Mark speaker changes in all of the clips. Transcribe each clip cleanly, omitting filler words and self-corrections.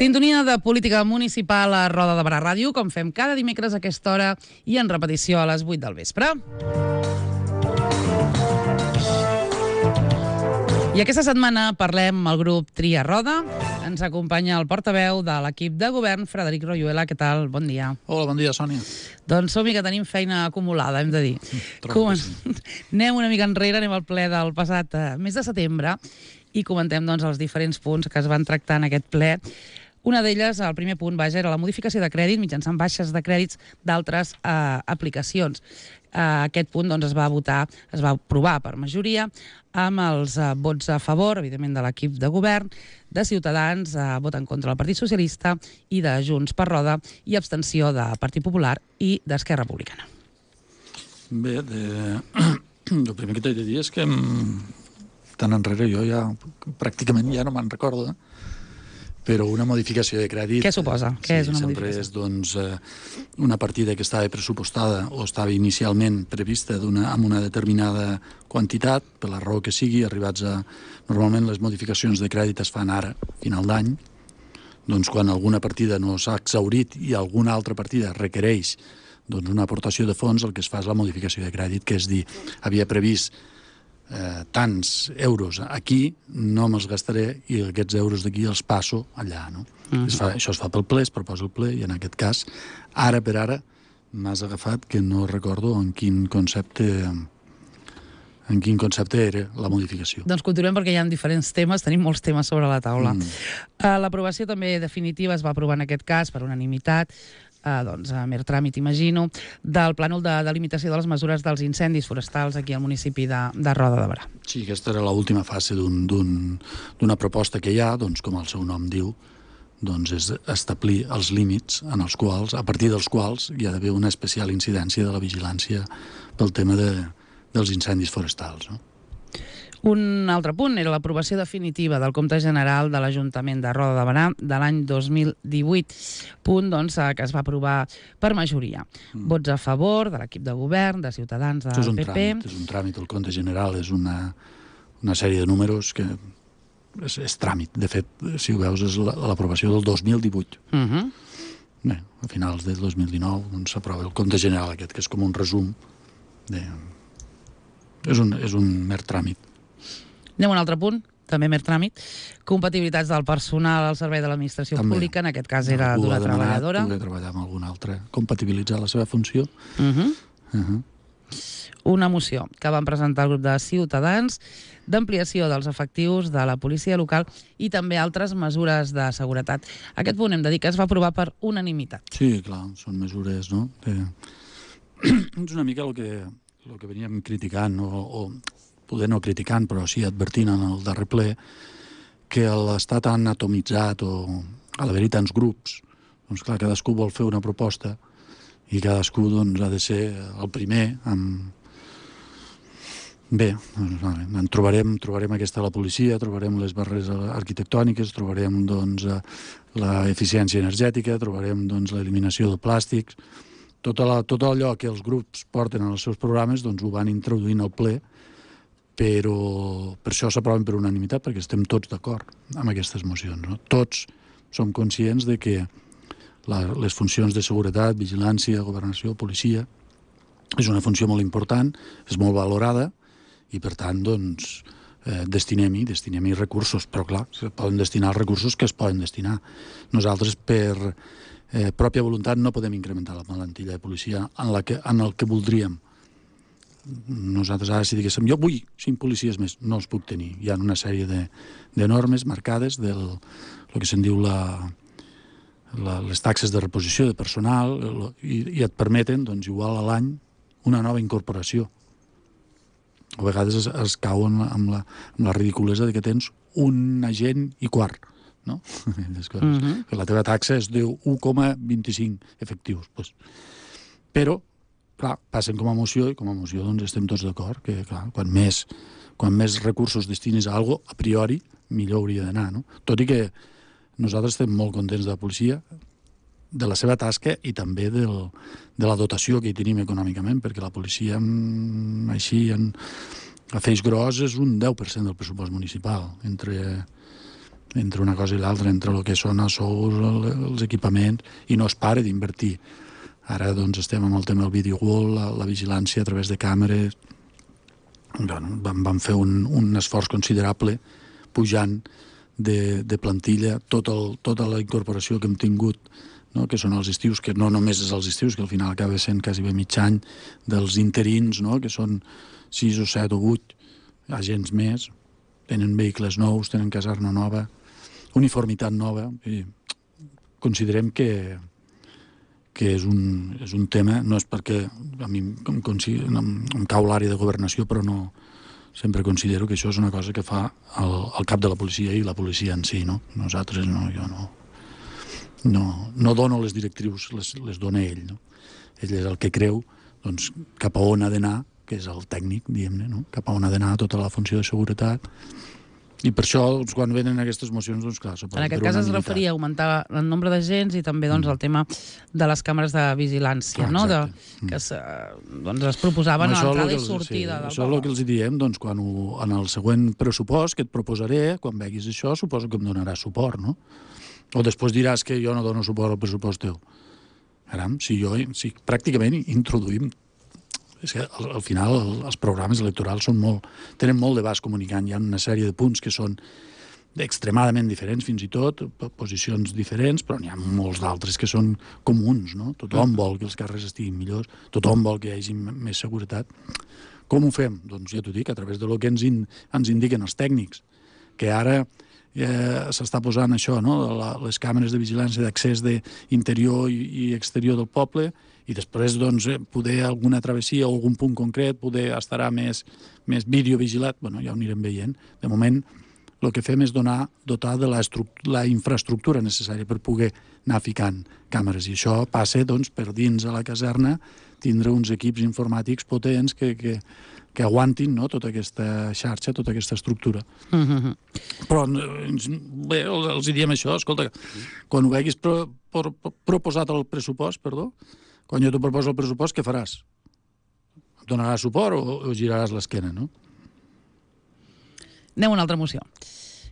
Speaker 1: Sintonia de política municipal a Roda de Barà Ràdio, com fem cada dimecres a aquesta hora i en repetició a les 8 del vespre. I aquesta setmana parlem amb el grup Tria Roda. Ens acompanya el portaveu de l'equip de govern, Frederic Royuela. Què tal? Bon dia.
Speaker 2: Hola, bon dia, Sònia.
Speaker 1: Doncs som-hi, que tenim feina acumulada, hem de dir. Anem una mica enrere, anem al ple del passat mes de setembre i comentem els diferents punts que es van tractar en aquest ple. Una d'elles, el primer punt, era la modificació de crèdit mitjançant baixes de crèdits d'altres aplicacions. Aquest punt es va aprovar per majoria amb els vots a favor, evidentment, de l'equip de govern, de Ciutadans, vot en contra del Partit Socialista i de Junts per Roda i abstenció de Partit Popular i d'Esquerra Republicana.
Speaker 2: Bé, el primer que t'he de dir és que tan enrere jo pràcticament ja no me'n recordo, però una modificació de crèdit...
Speaker 1: Què suposa? Què és una modificació?
Speaker 2: Sempre és una partida que estava pressupostada o estava inicialment prevista amb una determinada quantitat, per la raó que sigui, arribats a... Normalment les modificacions de crèdit es fan ara, final d'any, doncs quan alguna partida no s'ha exhaurit i alguna altra partida requereix una aportació de fons, el que es fa és la modificació de crèdit, que és dir, havia previst tants euros aquí, no me'ls gastaré i aquests euros d'aquí els passo allà, no? Això es fa pel ple, es proposa el ple, i en aquest cas, ara per ara, m'has agafat que no recordo en quin concepte era la modificaació.
Speaker 1: Doncs continuem, perquè hi ha diferents temes, tenim molts temes sobre la taula. L'aprovació també definitiva es va aprovar en aquest cas per unanimitat, a mer tràmit, imagino, del plànol de delimitació de les mesures dels incendis forestals aquí al municipi de Roda de Barà.
Speaker 2: Sí, aquesta era l'última fase d'una proposta que hi ha, com el seu nom diu, és establir els límits a partir dels quals hi ha d'haver una especial incidència de la vigilància pel tema dels incendis forestals, no?
Speaker 1: Un altre punt era l'aprovació definitiva del compte general de l'Ajuntament de Roda de Barà de l'any 2018, punt que es va aprovar per majoria. Vots a favor de l'equip de govern, de Ciutadans, del PP...
Speaker 2: És un tràmit, el compte general és una sèrie de números que és tràmit. De fet, si ho veus, és l'aprovació del 2018. Bé, a finals del 2019 s'aprova el compte general aquest, que és com un resum. És un mer tràmit.
Speaker 1: Anem a un altre punt, també mer tràmit. Compatibilitats del personal al servei de l'administració pública, en aquest cas era d'una treballadora.
Speaker 2: Poder treballar amb alguna altra, compatibilitzar la seva funció.
Speaker 1: Una moció que van presentar el grup de Ciutadans d'ampliació dels efectius de la policia local i també altres mesures de seguretat. Aquest punt hem de dir que es va aprovar per unanimitat.
Speaker 2: Sí, clar, són mesures, no? És una mica el que veníem criticant, o poder no criticant, però sí advertint en el darrer ple, que l'estar tan atomitzat o a l'haver-hi tants grups, doncs clar, cadascú vol fer una proposta i cadascú ha de ser el primer Bé, trobarem aquesta a la policia, trobarem les barreres arquitectòniques, trobarem l'eficiència energètica, trobarem l'eliminació de plàstics. Tot allò que els grups porten en els seus programes ho van introduint al ple, però per això s'aproven per unanimitat, perquè estem tots d'acord amb aquestes mocions, no? Tots som conscients de que les funcions de seguretat, vigilància, governació, policia, és una funció molt important, és molt valorada, i per tant, destinem-hi recursos, però clar, es poden destinar els recursos que es poden destinar. Nosaltres, per pròpia voluntat, no podem incrementar la plantilla de policia en el que voldríem. Nosaltres ara, si diguéssim, jo vull 5 policies més, no els puc tenir. Hi ha una sèrie de normes marcades del que se'n diu les taxes de reposició de personal i et permeten, igual a l'any, una nova incorporació. A vegades es cauen amb la ridiculesa que tens un agent i quart, no? La teva taxa és de 1,25 efectius. Però clar, passen com a moció, i com a moció estem tots d'acord que quan més recursos destinis a alguna cosa, a priori, millor hauria d'anar, no? Tot i que nosaltres estem molt contents de la policia, de la seva tasca i també de la dotació que hi tenim econòmicament, perquè la policia, així, a feix gros, és un 10% del pressupost municipal, entre entre una cosa i l'altra, entre el que són els sous, els equipaments, i no es para d'invertir. Ara doncs estem amb el tema del video wall, la vigilància a través de càmeres. Bueno, vam fer un esforç considerable pujant de plantilla tota la incorporació que hem tingut, no? Que són els estius, que no només és els estius, que al final acaba sent quasi bé mig any, dels interins, no? Que són 6 o 7 o 8 agents més, tenen vehicles nous, tenen caserna nova, uniformitat nova, i considerem que és un tema, no és perquè a mi em cau l'àrea de governació, però no, sempre considero que això és una cosa que fa el cap de la policia i la policia en si, no? Nosaltres no, jo no dono les directrius, les dona ell, no? Ell és el que creu, doncs, cap a on ha d'anar, que és el tècnic, diguem-ne, no? Cap a on ha d'anar tota la funció de seguretat. I per això, doncs, quan venen aquestes mocions, doncs clar,
Speaker 1: en aquest cas es referia a augmentar el nombre d'agents i també doncs, el tema de les càmeres de vigilància, no? Que es proposaven a l'entrada i sortida del poble.
Speaker 2: Això és el que els diem, doncs, quan en el següent pressupost que et proposaré, quan veguis això, suposo que em donaràs suport, no? O després diràs que jo no dono suport al pressupost teu. Caram, si pràcticament introduïm. És que al final els programes electorals tenen molt d'abast comunicant. Hi ha una sèrie de punts que són extremadament diferents, fins i tot, posicions diferents, però n'hi ha molts d'altres que són comuns, no? Tothom vol que els carrers estiguin millors, tothom vol que hi hagi més seguretat. Com ho fem? Doncs ja t'ho dic, a través del que ens indiquen els tècnics, que ara s'està posant això, no? Les càmeres de vigilància d'accés d'interior i exterior del poble, i després doncs, poder alguna travessia o algun punt concret poder estarà més videovigilat. Bueno, ja ho anirem veient. De moment, el que fem és dotar de la infraestructura necessària per poder anar ficant càmeres. I això passa doncs, per dins a la caserna tindre uns equips informàtics potents que aguantin, no? Tota aquesta xarxa, tota aquesta estructura. Però bé, els diem això, escolta, quan ho veguis proposat el pressupost, quan jo t'ho proposo el pressupost, què faràs? Em donaràs suport o giraràs l'esquena, no?
Speaker 1: Anem a una altra moció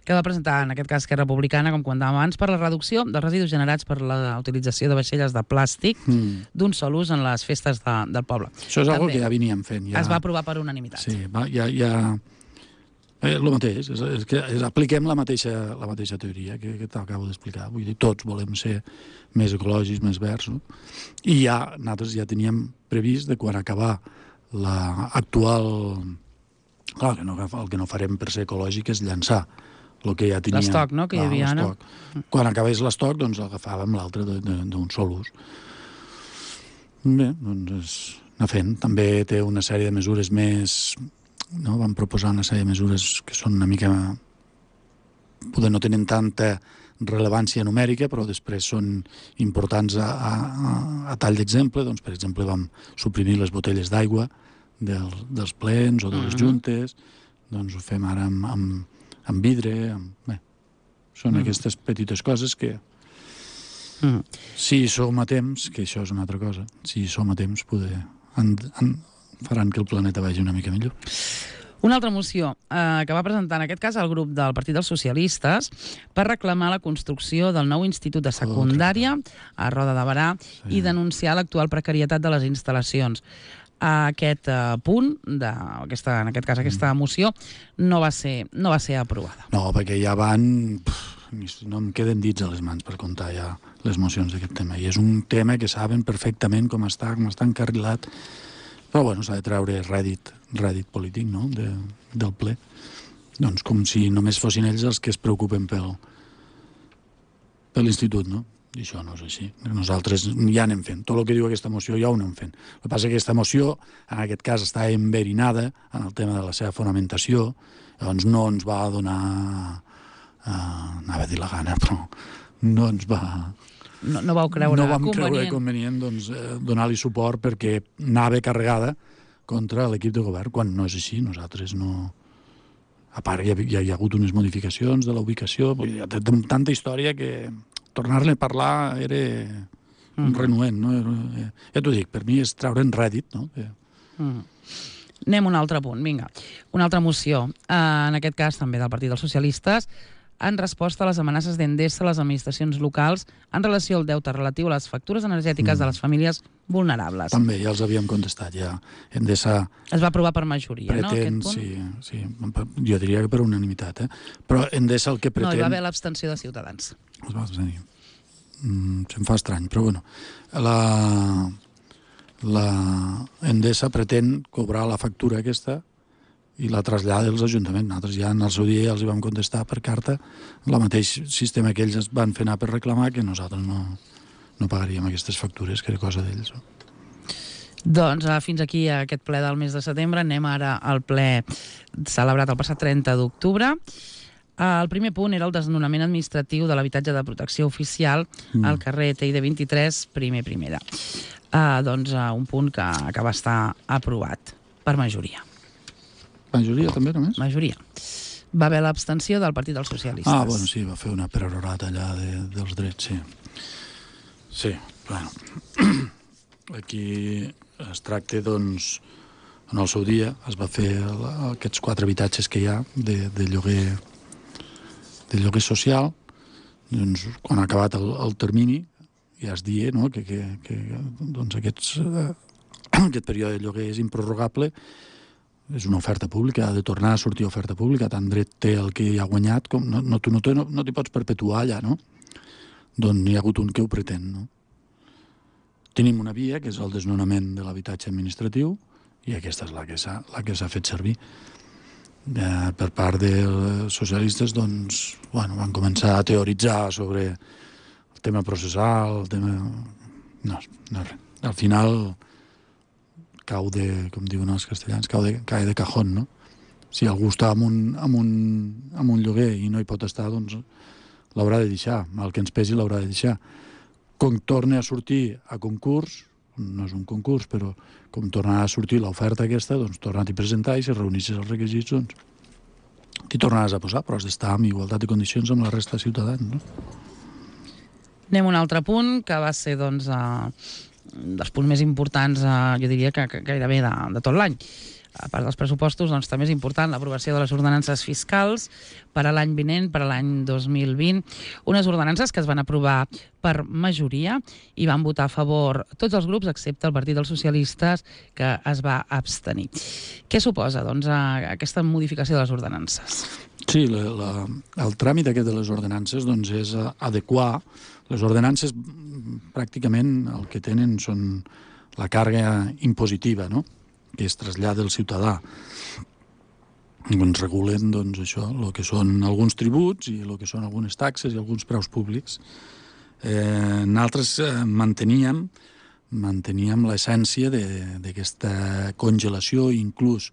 Speaker 1: que va presentar, en aquest cas, Esquerra Republicana, com comentàvem abans, per la reducció dels residus generats per la utilització de vaixelles de plàstic d'un sol ús en les festes del poble.
Speaker 2: Això és una cosa que ja veníem fent.
Speaker 1: Es va aprovar per unanimitat.
Speaker 2: Sí, el mateix, és que apliquem la mateixa teoria que t'acabo d'explicar. Vull dir, tots volem ser més ecològics, més verds, no? I nosaltres ja teníem previst de quan acabar l'actual... Clar, el que no farem per ser ecològic és llançar el que ja teníem.
Speaker 1: L'estoc, no?, que hi havia, no?
Speaker 2: Quan acabés l'estoc, doncs agafàvem l'altre d'un sol ús. Bé, doncs anar fent. També té una sèrie de mesures més... No? Vam proposar una sèrie de mesures que són una mica... Poder no tenen tanta rellevància numèrica, però després són importants a tall d'exemple. Doncs, per exemple, vam suprimir les botelles d'aigua dels plens o de les juntes. Doncs ho fem ara amb vidre. Bé, són aquestes petites coses que... Si hi som a temps, que això és una altra cosa, si hi som a temps faran que el planeta vagi una mica millor.
Speaker 1: Una altra moció que va presentar en aquest cas el grup del Partit dels Socialistes per reclamar la construcció del nou institut de secundària a Roda de Berà i denunciar l'actual precarietat de les instal·lacions. Aquest punt, en aquest cas aquesta moció, no va ser aprovada.
Speaker 2: No, perquè ja van... No em queden dits a les mans per comptar ja les mocions d'aquest tema. I és un tema que saben perfectament com està encarrilat. Però bueno, s'ha de treure rèdit polític, no?, del ple. Doncs com si només fossin ells els que es preocupen per l'institut, no? I això no és així. Nosaltres ja anem fent. Tot el que diu aquesta moció ja ho anem fent. El que passa és que aquesta moció, en aquest cas, està enverinada en el tema de la seva fonamentació, llavors no ens va donar... anava a dir la gana, però no ens va...
Speaker 1: No vau creure
Speaker 2: convenient donar-li suport perquè anava carregada contra l'equip de govern, quan no és així. Nosaltres no... A part, hi ha hagut unes modificacions de la ubicació, hi ha tanta història que tornar-ne a parlar era renuent, no? Ja t'ho dic, per mi és treure'n rèdit, no?
Speaker 1: Anem a un altre punt, vinga. Una altra moció, en aquest cas també del Partit dels Socialistes, en resposta a les amenaces d'Endesa a les administracions locals en relació al deute relatiu a les factures energètiques de les famílies vulnerables.
Speaker 2: També, ja els havíem contestat, ja. Endesa
Speaker 1: Es va aprovar per majoria,
Speaker 2: pretén,
Speaker 1: no, aquest punt?
Speaker 2: sí, jo diria que per unanimitat, però Endesa el que pretén...
Speaker 1: No, hi va haver l'abstenció de Ciutadans.
Speaker 2: Es va abstenir. Se'm fa estrany, però bueno. La Endesa pretén cobrar la factura aquesta i la trasllada dels ajuntaments. Nosaltres ja en el seu dia ja els hi vam contestar per carta el mateix sistema que ells es van fer anar per reclamar, que nosaltres no pagaríem aquestes factures, que era cosa d'ells.
Speaker 1: Doncs fins aquí aquest ple del mes de setembre. Anem ara al ple celebrat el passat 30 d'octubre. El primer punt era el desnonament administratiu de l'habitatge de protecció oficial al carrer TID 23, primera. Doncs un punt que va estar aprovat per majoria.
Speaker 2: Majoria també, només?
Speaker 1: Majoria. Va haver l'abstenció del Partit dels Socialistes.
Speaker 2: Bueno, sí, va fer una perorata allà dels drets, sí. Sí, bueno. Aquí es tracta, doncs, en el seu dia es va fer aquests 4 habitatges que hi ha de lloguer social. Doncs, quan ha acabat el termini, ja es dia, no?, que doncs aquest període de lloguer és improrrogable, és una oferta pública, ha de tornar a sortir oferta pública, tant dret té el que hi ha guanyat, com no t'hi pots perpetuar allà, no? Doncs n'hi ha hagut un que ho pretén, no? Tenim una via, que és el desnonament de l'habitatge administratiu, i aquesta és la que s'ha fet servir. Per part dels socialistes, doncs, van començar a teoritzar sobre el tema processal, el tema... No res. Al final cau de, com diuen els castellans, cae de cajón, no? Si algú està amb un lloguer i no hi pot estar, doncs l'haurà de deixar. El que ens pesi l'haurà de deixar. Com torna a sortir a concurs, no és un concurs, però com tornarà a sortir l'oferta aquesta, doncs tornar-t'hi a presentar i si reunissis els requisits, doncs t'hi tornaràs a posar, però has d'estar en igualtat de condicions amb la resta de ciutadans, no?
Speaker 1: Anem a un altre punt, que va ser, doncs, dels punts més importants, jo diria que gairebé de tot l'any. A part dels pressupostos, doncs també és important l'aprovació de les ordenances fiscals per a l'any vinent, per a l'any 2020. Unes ordenances que es van aprovar per majoria i van votar a favor tots els grups, excepte el Partit dels Socialistes, que es va abstenir. Què suposa, doncs, aquesta modificació de les ordenances?
Speaker 2: Sí, el tràmit aquest de les ordenances, doncs, és adequar. Les ordenances pràcticament el que tenen són la càrrega impositiva, no?, que es trasllada al ciutadà. Ens regulen, doncs, això, el que són alguns tributs i el que són algunes taxes i alguns preus públics. Nosaltres manteníem l'essència d'aquesta congelació, inclús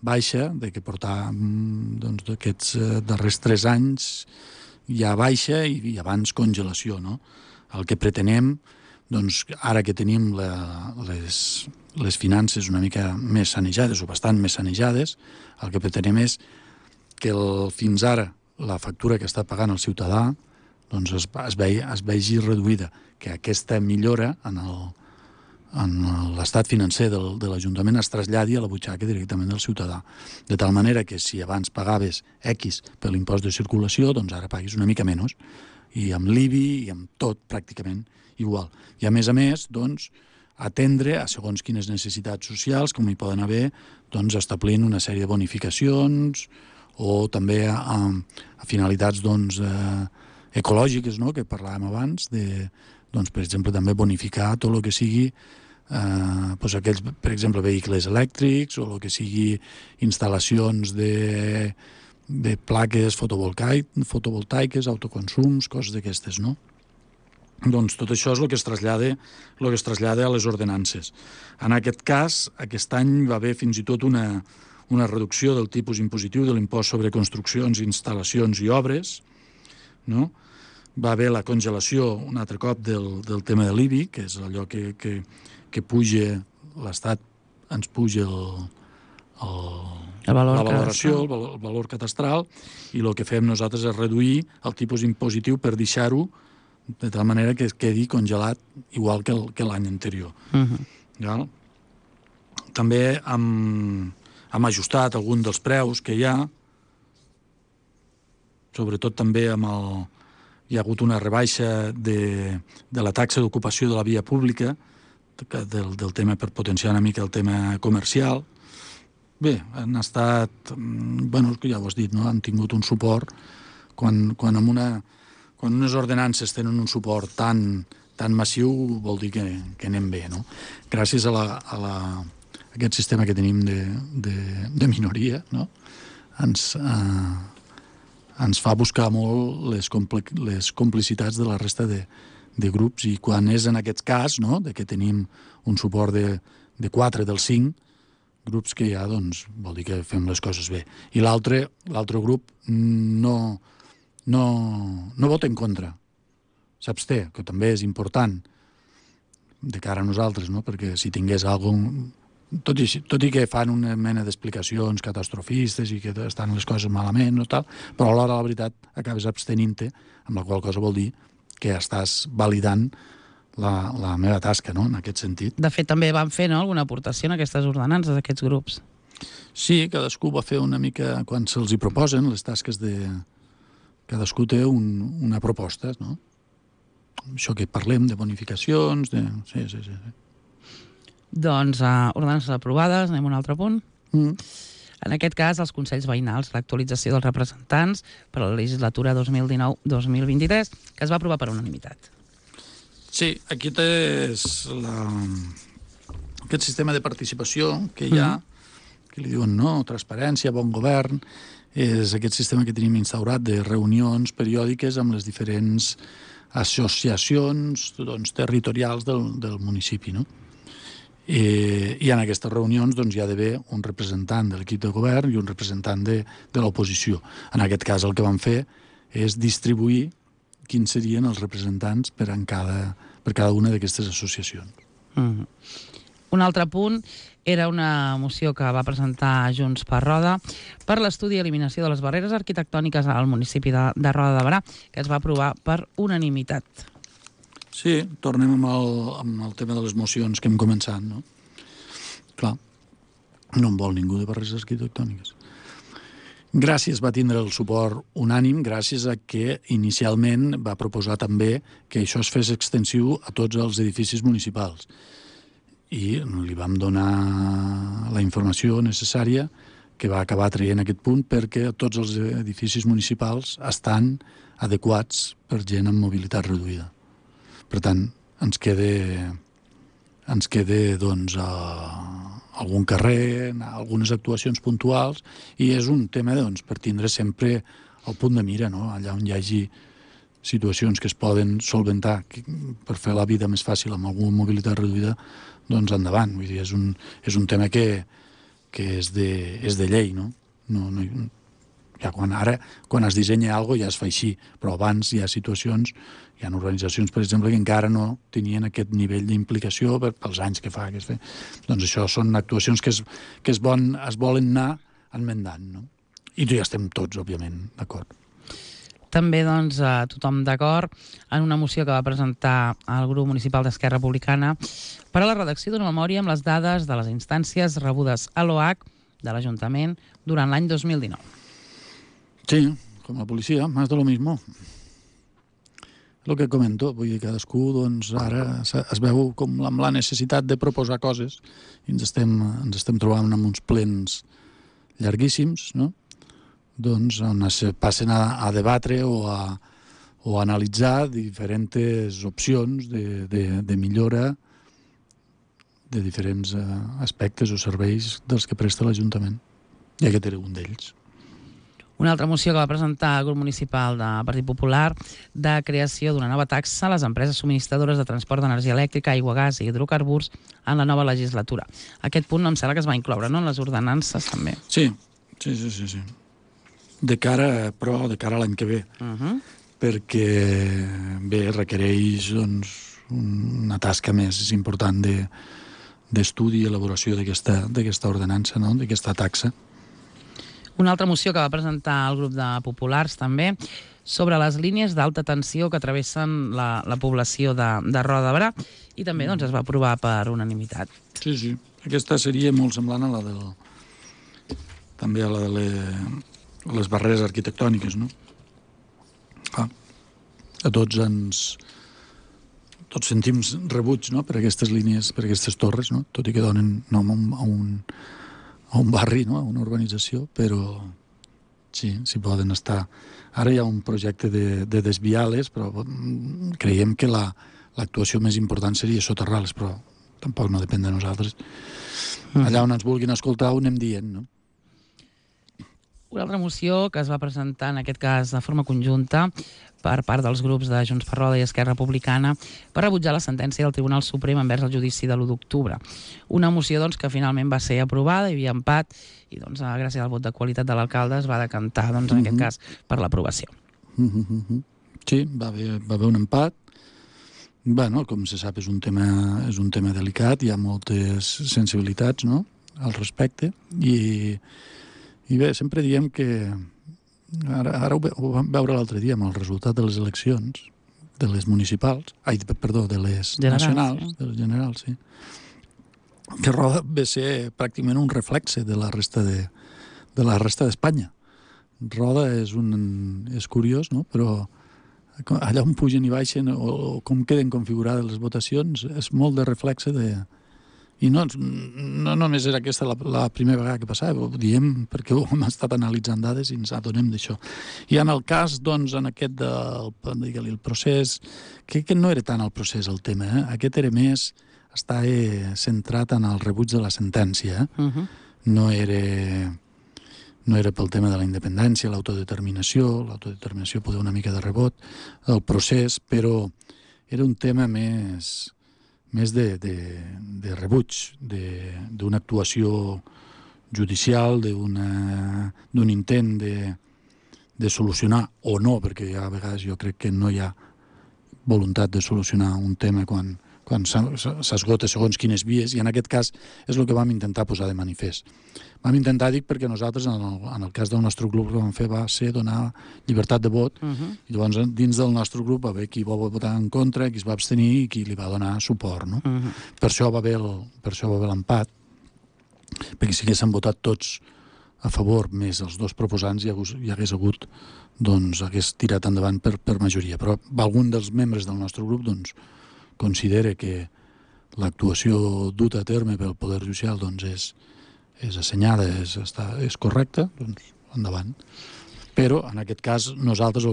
Speaker 2: baixa, de que portàvem, doncs, d'aquests darrers 3 anys ja baixa i abans congelació, no? El que pretenem, doncs, ara que tenim les finances una mica més sanejades o bastant més sanejades, el que pretenem és que fins ara la factura que està pagant el ciutadà doncs es vegi reduïda, que aquesta millora en l'estat financer de l'Ajuntament es traslladi a la butxaca directament del ciutadà. De tal manera que si abans pagaves X per l'impost de circulació, doncs ara paguis una mica menys. I amb l'IBI i amb tot pràcticament igual. I a més, doncs, atendre a segons quines necessitats socials, com hi poden haver, doncs, establint una sèrie de bonificacions o també a finalitats, doncs, ecològiques, no?, que parlàvem abans, doncs, per exemple, també bonificar tot el que sigui doncs aquells, per exemple, vehicles elèctrics o el que sigui instal·lacions de plaques fotovoltaiques, autoconsums, coses d'aquestes, no? Doncs tot això és el que es trasllada a les ordenances. En aquest cas, aquest any va haver fins i tot una reducció del tipus impositiu de l'impost sobre construccions, instal·lacions i obres, no? Va haver la congelació un altre cop del tema de l'IBI, que és allò que puja, l'Estat ens puja la valoració, el valor catastral, i el que fem nosaltres és reduir el tipus impositiu per deixar-ho de tal manera que es quedi congelat igual que l'any anterior. També hem ajustat algun dels preus que hi ha. sobretot també hi ha hagut una rebaixa de la taxa d'ocupació de la via pública, del tema per potenciar una mica el tema comercial. Bé, han estat, ja ho has dit, no? Han tingut un suport quan unes ordenances tenen un suport tan massiu, vol dir que anem bé, no? Gràcies a aquest sistema que tenim de minoria, no? Ens fa buscar molt les complicitats de la resta de grups, i quan és en aquest cas, no?, de que tenim un suport de 4 dels 5 grups que hi ha, doncs vol dir que fem les coses bé. I l'altre grup no vota en contra, s'absté, que també és important de cara a nosaltres, no? Perquè si tingués algun... Tot i que fan una mena d'explicacions catastrofistes i que estan les coses malament, no, tal, però alhora, la veritat, acabes abstenint-te, amb la qual cosa vol dir que estàs validant la meva tasca, no?, en aquest sentit.
Speaker 1: De fet, també van fer, no?, alguna aportació en aquestes ordenances, aquests grups.
Speaker 2: Sí, cadascú va fer una mica, quan se'ls hi proposen les tasques cadascú té una proposta, no? Això que parlem, de bonificacions, Sí.
Speaker 1: Doncs, ordenances aprovades, anem a un altre punt. En aquest cas, els Consells Veïnals, l'actualització dels representants per a la legislatura 2019-2023, que es va aprovar per unanimitat.
Speaker 2: Sí, aquest és aquest sistema de participació que hi ha, que li diuen, no, transparència, bon govern, és aquest sistema que tenim instaurat de reunions periòdiques amb les diferents associacions, doncs, territorials del municipi, no? I en aquestes reunions doncs, hi ha d'haver un representant de l'equip de govern i un representant de l'oposició. En aquest cas el que vam fer és distribuir quins serien els representants per cada una d'aquestes associacions.
Speaker 1: Un altre punt era una moció que va presentar Junts per Roda per l'estudi i eliminació de les barreres arquitectòniques al municipi de Roda de Berà, que es va aprovar per unanimitat.
Speaker 2: Sí, tornem amb el tema de les mocions que hem començat, no? Clar, no en vol ningú de barreres arquitectòniques. Gràcies va tindre el suport unànim, gràcies a que inicialment va proposar també que això es fes extensiu a tots els edificis municipals. I li vam donar la informació necessària que va acabar traient aquest punt, perquè tots els edificis municipals estan adequats per gent amb mobilitat reduïda. Per tant, ens queda doncs, algun carrer, algunes actuacions puntuals, i és un tema doncs, per tindre sempre el punt de mira, no? Allà on hi hagi situacions que es poden solventar per fer la vida més fàcil amb alguna mobilitat reduïda, doncs endavant. Vull dir, és un tema que és de llei, no? Ja quan es dissenya alguna cosa ja es fa així, però abans hi ha situacions, hi ha organitzacions, per exemple, que encara no tenien aquest nivell d'implicació pels anys que fa. Doncs això són actuacions que es volen anar enmendant, no? I ja estem tots, òbviament, d'acord.
Speaker 1: També, doncs, tothom d'acord en una moció que va presentar el grup municipal d'Esquerra Republicana per a la redacció d'una memòria amb les dades de les instàncies rebudes a l'OH de l'Ajuntament durant l'any 2019.
Speaker 2: Sí, com la policia, más de lo mismo. El que comento, vull dir, cadascú doncs, ara es veu com amb la necessitat de proposar coses i ens estem trobant amb uns plens llarguíssims, no? Doncs on es passen a debatre o a analitzar diferents opcions de millora de diferents aspectes o serveis dels que presta l'Ajuntament. I aquest era un d'ells.
Speaker 1: Una altra moció que va presentar el grup municipal del Partit Popular de creació d'una nova taxa a les empreses subministradores de transport d'energia elèctrica, aigua, gas i hidrocarburs en la nova legislatura. Aquest punt em sembla que es va incloure, no?, en les ordenances també.
Speaker 2: Sí. De cara a l'any que ve. Perquè, bé, requereix doncs, una tasca més important d'estudi i elaboració d'aquesta ordenança, no?, d'aquesta taxa.
Speaker 1: Una altra moció que va presentar el grup de populars també sobre les línies d'alta tensió que travessen la població de Roda de Berà i també doncs, es va aprovar per unanimitat.
Speaker 2: Sí. Aquesta seria molt semblant a la també a la de les barreres arquitectòniques, no? A tots sentim rebuig, no?, per aquestes línies, per aquestes torres, no?, tot i que donen nom a un barri, no?, a una urbanització, però sí, s'hi poden estar. Ara hi ha un projecte de desviar-les, però creiem que l'actuació més important seria soterrar-les, però tampoc no depèn de nosaltres. Allà on ens vulguin escoltar ho anem dient, no?
Speaker 1: Una altra moció que es va presentar, en aquest cas de forma conjunta, per part dels grups de Junts per Roda i Esquerra Republicana per rebutjar la sentència del Tribunal Suprem envers el judici de l'1 d'octubre. Una moció doncs, que finalment va ser aprovada, hi havia empat, i doncs, gràcies al vot de qualitat de l'alcalde es va decantar, doncs, en aquest cas, per l'aprovació.
Speaker 2: Sí, va haver un empat. Bueno, com se sap, és un tema delicat, hi ha moltes sensibilitats, no?, al respecte, i bé, sempre diem que ara ho vam veure l'altre dia amb el resultat de les eleccions, de les municipals, de les nacionals, de les generals, sí, que Roda ve ser pràcticament un reflexe de la resta d'Espanya. Roda és curiós, no?, però allà on pugen i baixen o com queden configurades les votacions és molt de reflexe de... I no només era aquesta la primera vegada que passava, ho diem perquè hem estat analitzant dades i ens adonem d'això. I en el cas, doncs, en aquest del procés, crec que no era tant el procés el tema, aquest era més estar centrat en el rebuig de la sentència. No era pel tema de la independència, l'autodeterminació poder una mica de rebot, el procés, però era un tema més de rebuig, d'una actuació judicial, d'un intent de solucionar, o no, perquè a vegades jo crec que no hi ha voluntat de solucionar un tema quan s'esgota segons quines vies, i en aquest cas és el que vam intentar posar de manifest. Vam intentar, dic, perquè nosaltres, en el cas del nostre grup, el que vam fer va ser donar llibertat de vot, i llavors dins del nostre grup va haver qui va votar en contra, qui es va abstenir i qui li va donar suport, no? Per això va haver l'empat, perquè si haguessin votat tots a favor, més els dos proposants, hi hagués hagut, doncs, hagués tirat endavant per majoria. Però algun dels membres del nostre grup, doncs, considera que l'actuació duta a terme pel Poder Judicial doncs és assenyada, és correcta, doncs endavant. Però, en aquest cas, nosaltres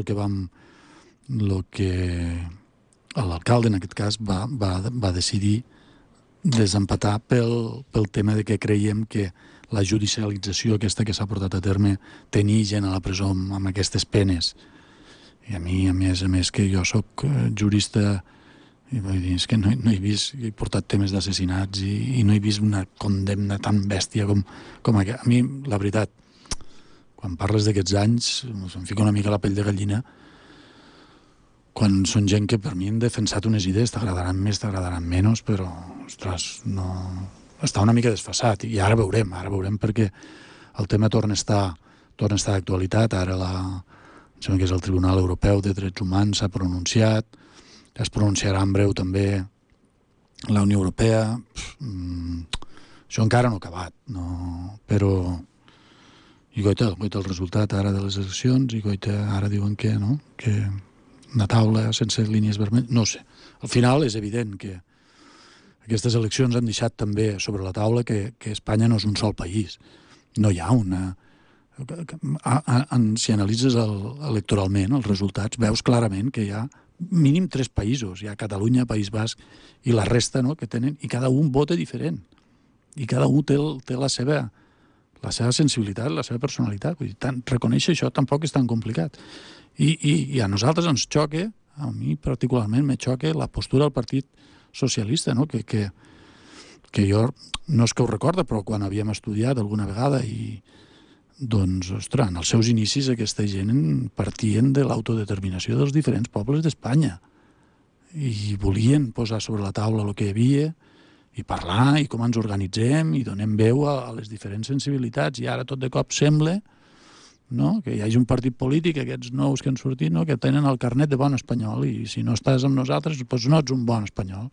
Speaker 2: l'alcalde, en aquest cas, va decidir desempatar pel tema de que creiem que la judicialització aquesta que s'ha portat a terme, tenir gent a la presó amb aquestes penes. I a mi, a més, que jo sóc jurista, i vull dir, és que no he vist, he portat temes d'assassinats i no he vist una condemna tan bèstia com aquesta. A mi, la veritat, quan parles d'aquests anys, em fica una mica la pell de gallina, quan són gent que per mi han defensat unes idees, t'agradaran més, t'agradaran menys, però, ostres, no... està una mica desfasat, i ara veurem perquè el tema torna a estar d'actualitat. Ara em sembla que és el Tribunal Europeu de Drets Humans s'ha pronunciat, es pronunciarà en breu també la Unió Europea. Això encara no ha acabat, no? Però i goita el resultat ara de les eleccions, i goita ara diuen que no, que una taula sense línies vermelles, no sé. Al final és evident que aquestes eleccions han deixat també sobre la taula que Espanya no és un sol país. No hi ha una... Si analitzes electoralment els resultats, veus clarament que hi ha mínim 3 països. Hi ha Catalunya, País Basc i la resta, no?, que tenen, i cada un vota diferent. I cada un té la seva sensibilitat, la seva personalitat. Vull dir, reconèixer això tampoc és tan complicat. I a nosaltres ens xoca, a mi particularment me xoca la postura del Partit Socialista, no?, que jo no és que ho recorda, però quan havíem estudiat alguna vegada doncs, ostres, en els seus inicis aquesta gent partien de l'autodeterminació dels diferents pobles d'Espanya i volien posar sobre la taula el que hi havia i parlar i com ens organitzem i donem veu a les diferents sensibilitats, i ara tot de cop sembla, no?, que hi hagi un partit polític, aquests nous que han sortit, no?, que tenen el carnet de bon espanyol, i si no estàs amb nosaltres doncs no ets un bon espanyol.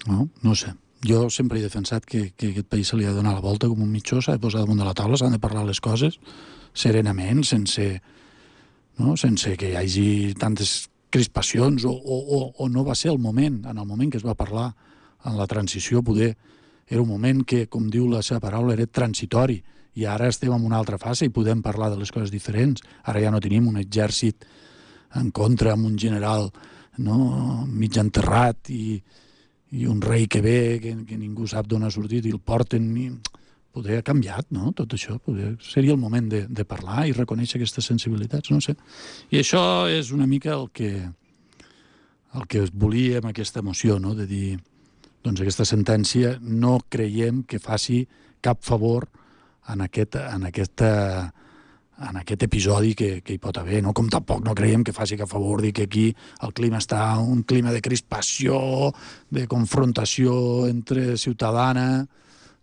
Speaker 2: No sé. Jo sempre he defensat que aquest país se li ha de donar la volta com un mitjó, s'ha de posar damunt de la taula, s'han de parlar les coses serenament, sense no? Sense que hi hagi tantes crispacions, o no va ser el moment, en el moment que es va parlar en la transició, poder era un moment que, com diu la seva paraula, era transitori, i ara estem en una altra fase i podem parlar de les coses diferents. Ara ja no tenim un exèrcit en contra amb un general, no?, mig enterrat i un rei que ve, que ningú sap d'on ha sortit i el porten. Poder ha canviat, no?, tot això. Seria el moment de parlar i reconèixer aquestes sensibilitats, no sé. I això és una mica el que volia amb aquesta moció, no?, de dir, doncs aquesta sentència no creiem que faci cap favor en aquest episodi que hi pot haver, no? Com tampoc no creiem que faci cap favor dir que aquí el clima està un clima de crispació, de confrontació entre ciutadana,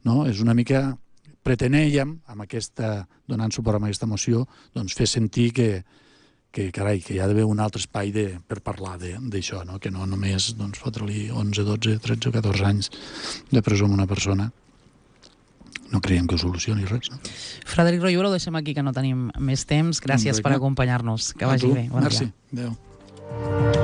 Speaker 2: no? És una mica, pretenèiem, donant suport a aquesta moció, doncs fer sentir que carai, que hi ha d'haver un altre espai per parlar d'això, no? Que no només fotre-li 11, 12, 13 o 14 anys de presó a una persona. No creiem que ho solucioni res, no?
Speaker 1: Frederic Royo, ho deixem aquí, que no tenim més temps. Gràcies per acompanyar-nos. Que vagi bé. Bon dia.
Speaker 2: Merci. Adéu.